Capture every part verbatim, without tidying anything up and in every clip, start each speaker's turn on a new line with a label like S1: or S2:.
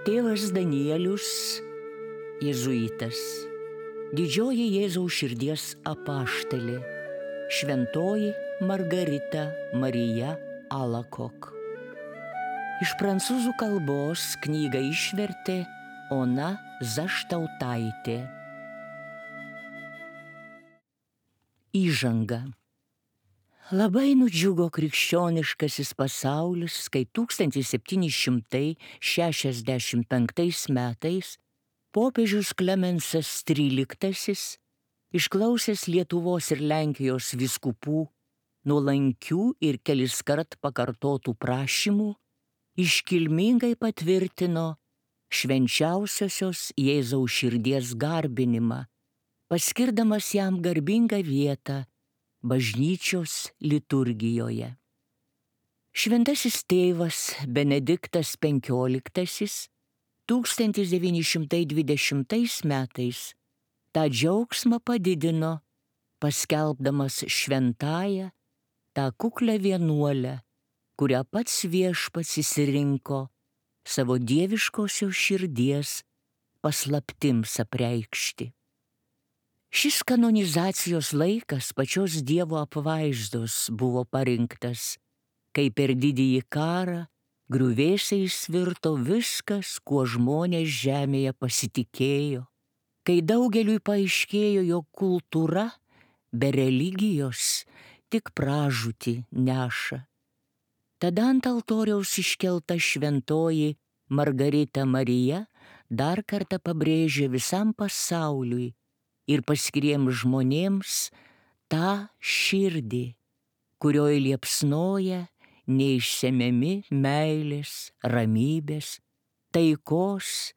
S1: Tėvas Danielius, jėzuitas, didžioji Jėzaus širdies apaštalė, šventoji Margarita Marija Alacoque. Iš prancūzų kalbos knygą išvertė Ona Zaštautaitė. Įžanga. Labai nudžiugo krikščioniškasis pasaulis, kai tūkstantis septyni šimtai šešiasdešimt penktais metais popiežius Klemensas tryliktasis, išklausęs Lietuvos ir Lenkijos vyskupų nuolankių ir keliskart pakartotų prašymų, iškilmingai patvirtino švenčiausiosios Jėzaus širdies garbinimą, paskirdamas jam garbingą vietą bažnyčios liturgijoje. Šventasis tėvas Benediktas penkioliktasis tūkstantis devyni šimtai dvidešimtais metais tą džiaugsmą padidino, paskelbdamas šventąją tą kuklią vienuolę, kurią pats viešpats išsirinko savo dieviškosios širdies paslaptims apreikšti. Šis kanonizacijos laikas pačios Dievo apvaizdos buvo parinktas, kai per didįjį karą griuvėsiais virto viskas, kuo žmonės žemėje pasitikėjo, kai daugeliui paaiškėjo, jog kultūra be religijos tik pražūtį neša. Tada ant altoriaus iškelta šventoji Margarita Marija dar kartą pabrėžė visam pasauliui ir paskiriems žmonėms tą širdį, kurioje liepsnoja neišsemiami meilės, ramybės, taikos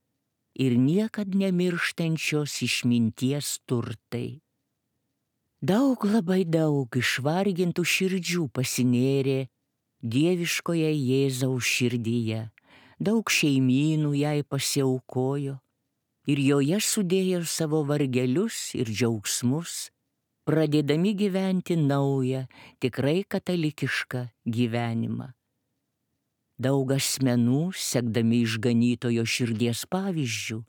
S1: ir niekad nemirštančios išminties turtai. Daug, labai daug išvargintų širdžių pasinėrė dieviškoje Jėzaus širdyje, daug šeimynų jai pasiaukojo ir joje sudėjo savo vargelius ir džiaugsmus, pradėdami gyventi naują, tikrai katalikišką gyvenimą. Daug asmenų, sekdami išganytojo širdies pavyzdžių,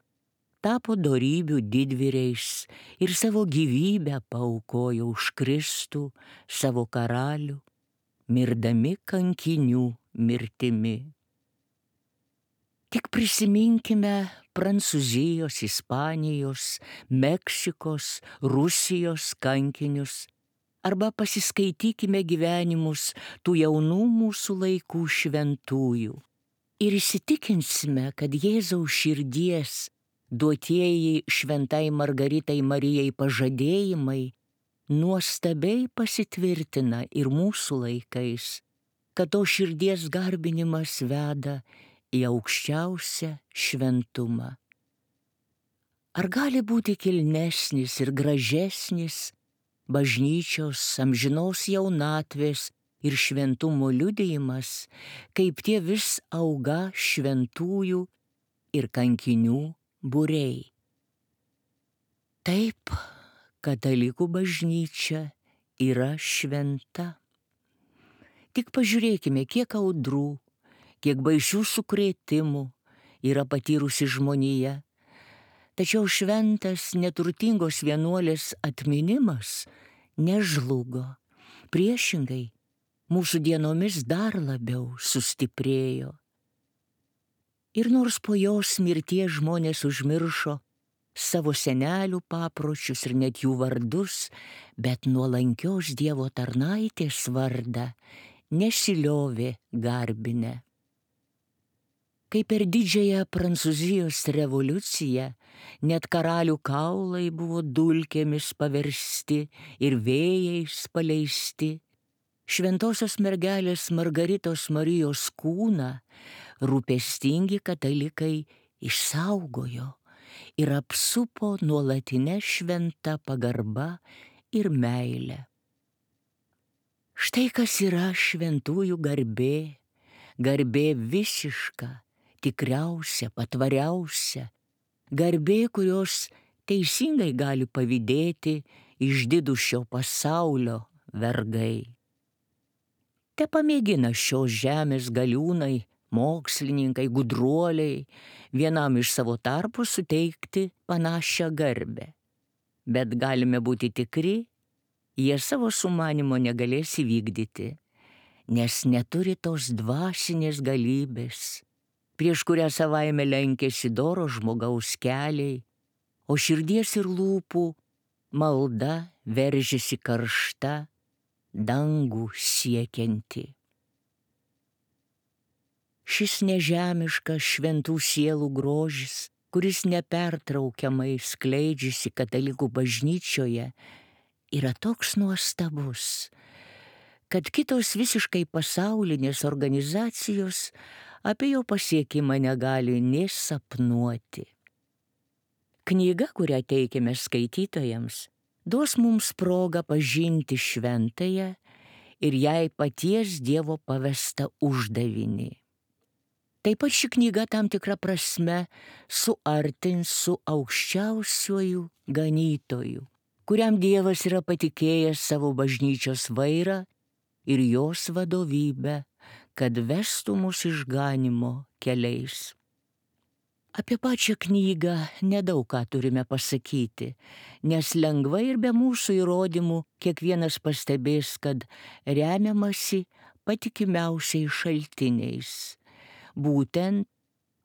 S1: tapo dorybių didvyriais ir savo gyvybę paaukojo už Kristų, savo karalių, mirdami kankinių mirtimi. Tik prisiminkime Prancūzijos, Ispanijos, Meksikos, Rusijos kankinius, arba pasiskaitykime gyvenimus tų jaunų mūsų laikų šventųjų ir įsitikinsime, kad Jėzaus širdies duotieji šventai Margaritai Marijai pažadėjimai nuostabiai pasitvirtina ir mūsų laikais, kad to širdies garbinimas veda į aukščiausią šventumą. Ar gali būti kilnesnis ir gražesnis bažnyčios amžinos jaunatvės ir šventumo liudijimas, kaip tie vis auga šventųjų ir kankinių būriai? Taip, katalikų bažnyčia yra šventa. Tik pažiūrėkime, kiek audrų, kiek baisių sukrėtimų yra patyrusi žmonija. Tačiau šventas neturtingos vienuolės atminimas nežlugo. Priešingai, mūsų dienomis dar labiau sustiprėjo. Ir nors po jos mirties žmonės užmiršo savo senelių papročius ir net jų vardus, bet nuolankios Dievo tarnaitės vardą nesiliovė garbinę. Kai per didžiąją Prancūzijos revoliuciją net karalių kaulai buvo dulkėmis paversti ir vėjais paleisti, šventosios mergelės Margaritos Marijos kūną rūpestingi katalikai išsaugojo ir apsupo nuolatinę šventą pagarba ir meilę. Štai kas yra šventųjų garbė, garbė visiška, tikriausia, patvariausia, garbė, kurios teisingai gali pavydėti išdidūs šio pasaulio vergai. Te pamėgina šios žemės galiūnai mokslininkai, gudruoliai vienam iš savo tarpų suteikti panašią garbę. Bet galime būti tikri, jie savo sumanimo negalės įvykdyti, nes neturi tos dvasinės galybės, prieš kurią savaime lenkėsi doro žmogaus keliai, o širdies ir lūpų malda veržiasi karšta, dangų siekianti. Šis nežemiškas šventų sielų grožis, kuris nepertraukiamai skleidžiasi katalikų bažnyčioje, yra toks nuostabus, kad kitos visiškai pasaulinės organizacijos apie jo pasiekimą negali nė sapnuoti. Knyga, kurią teikiame skaitytojams, duos mums progą pažinti šventąją ir jai paties Dievo pavestą uždavinį. Taip pat ši knyga tam tikrą prasme suartins su aukščiausiuoju ganytoju, kuriam Dievas yra patikėjęs savo bažnyčios vairą ir jos vadovybę, kad vestų mus išganymo keliais. Apie pačią knygą nedaug ką turime pasakyti, nes lengvai ir be mūsų įrodymų kiekvienas pastebės, kad remiamasi patikimiausiais šaltiniais. Būtent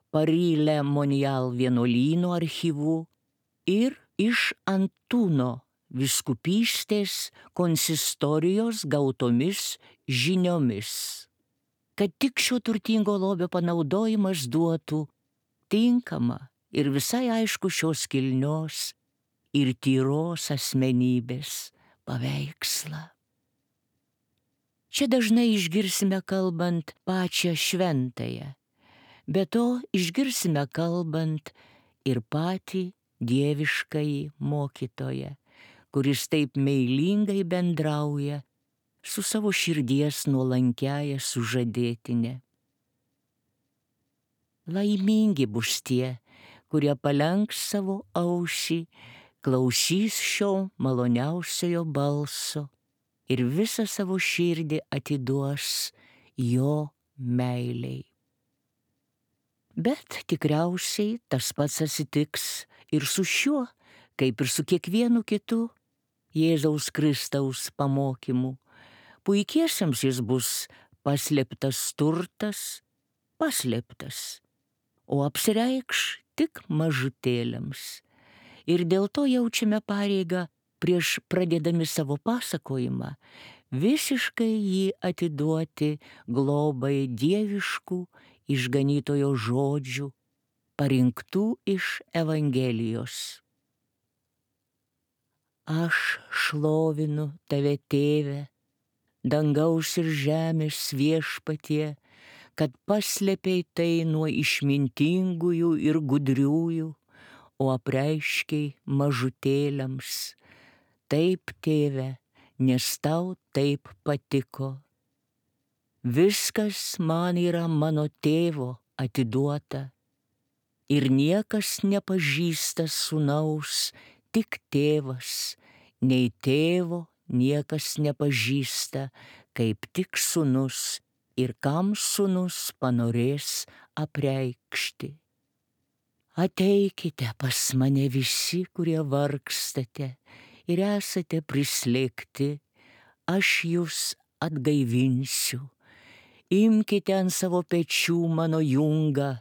S1: Paris Le Monial vienuolyno archyvų ir iš Antūno vyskupystės konsistorijos gautomis žiniomis, kad tik šio turtingo lobio panaudojimas duotų tinkamą ir visai aišku šios kilnios ir tyros asmenybės paveikslą. Čia dažnai išgirsime kalbant pačią šventąją, be to išgirsime kalbant ir patį dieviškąjį mokytoją, kuris taip meilingai bendrauja su savo širdies nuolankiąja sužadėtine. Laimingi bus tie, kurie palenks savo ausį, klausys šio maloniausiojo balso ir visą savo širdį atiduos jo meilei. Bet tikriausiai tas pats atsitiks ir su šiuo, kaip ir su kiekvienu kitu Jėzaus Kristaus pamokymu. Puikiesiems jis bus paslėptas turtas, paslėptas, o apsireikš tik mažutėliams. Ir dėl to jaučiame pareigą prieš pradėdami savo pasakojimą visiškai jį atiduoti globai dieviškų išganytojo žodžių, parinktų iš Evangelijos. Aš šlovinu tave, Tėve, dangaus ir žemės viešpatie, kad paslėpei tai nuo išmintingųjų ir gudriųjų, o apreiškei mažutėliams. Taip, Tėve, nes tau taip patiko. Viskas man yra mano tėvo atiduota, ir niekas nepažįsta sūnaus, tik tėvas, nei tėvo niekas nepažįsta, kaip tik sūnus, ir kam sūnus panorės apreikšti. Ateikite pas mane visi, kurie vargstate ir esate prislėgti, aš jūs atgaivinsiu. Imkite ant savo pečių mano jungą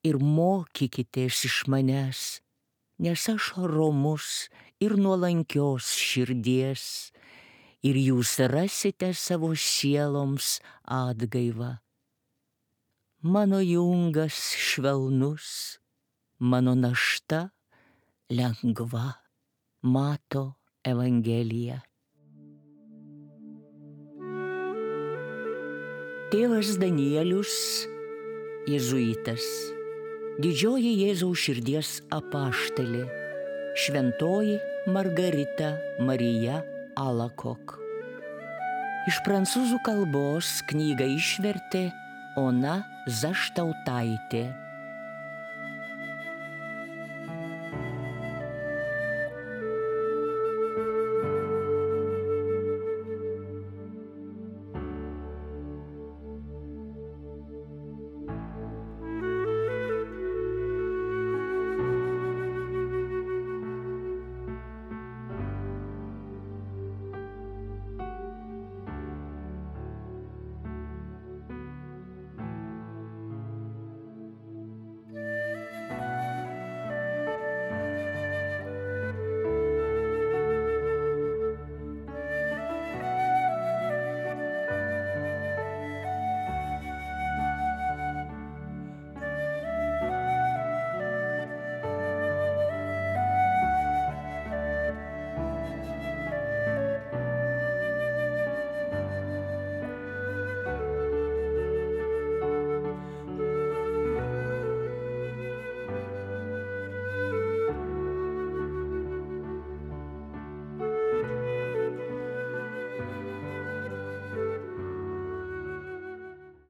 S1: ir mokykitės iš manęs, nes aš romus ir nuolankios širdies, ir jūs rasite savo sieloms atgaivą. Mano jungas švelnus, mano našta lengva. Mato Evangelija. Tėvas Danielius, jėzuitas, didžioji Jėzaus širdies apaštalė, šventoji Margarita Marija Alakok. Iš prancūzų kalbos knygą išvertė Ona Zaštautaitė.